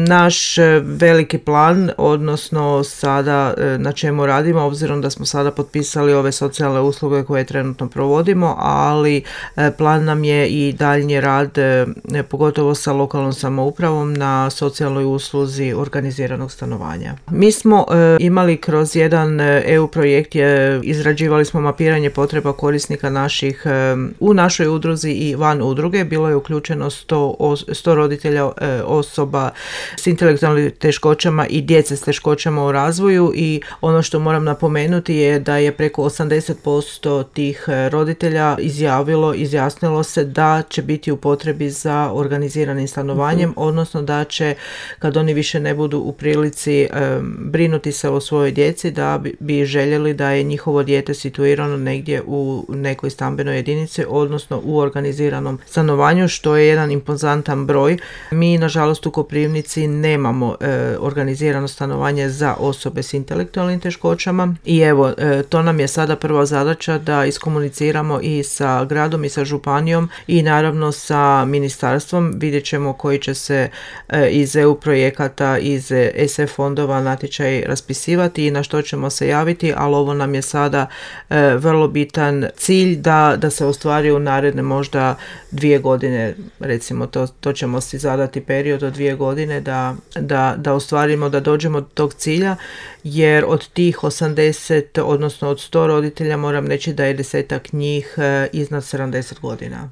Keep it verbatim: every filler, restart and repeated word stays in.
Naš veliki plan, odnosno sada na čemu radimo, obzirom da smo sada potpisali ove socijalne usluge koje trenutno provodimo, ali plan nam je i daljnji rad, pogotovo sa lokalnom samoupravom na socijalnoj usluzi organiziranog stanovanja. Mi smo imali kroz jedan E U projekt, je, izrađivali smo mapiranje potreba korisnika naših u našoj udruzi i van udruge. Bilo je uključeno sto roditelja osoba s intelektualnim teškoćama i djece s teškoćama u razvoju, i ono što moram napomenuti je da je preko osamdeset posto tih roditelja izjavilo, izjasnilo se da će biti u potrebi za organiziranim stanovanjem, uh-huh. odnosno da će, kad oni više ne budu u prilici um, brinuti se o svojoj djeci, da bi, bi željeli da je njihovo dijete situirano negdje u nekoj stambenoj jedinici, odnosno u organiziranom stanovanju, što je jedan impozantan broj. Mi, nažalost, u Koprivnici nemamo e, organizirano stanovanje za osobe s intelektualnim teškoćama, i evo, e, to nam je sada prva zadaća, da iskomuniciramo i sa gradom i sa županijom i naravno sa ministarstvom. Vidjet ćemo koji će se e, iz E U projekata, iz E S F fondova natječaj raspisivati i na što ćemo se javiti, ali ovo nam je sada e, vrlo bitan cilj da, da se ostvari u naredne možda dvije godine, recimo to, to ćemo si zadati period od dvije godine da, da, da ostvarimo, da dođemo do tog cilja, jer od tih osamdeset, odnosno od sto roditelja moram reći da je desetak njih e, iznad sedamdeset godina.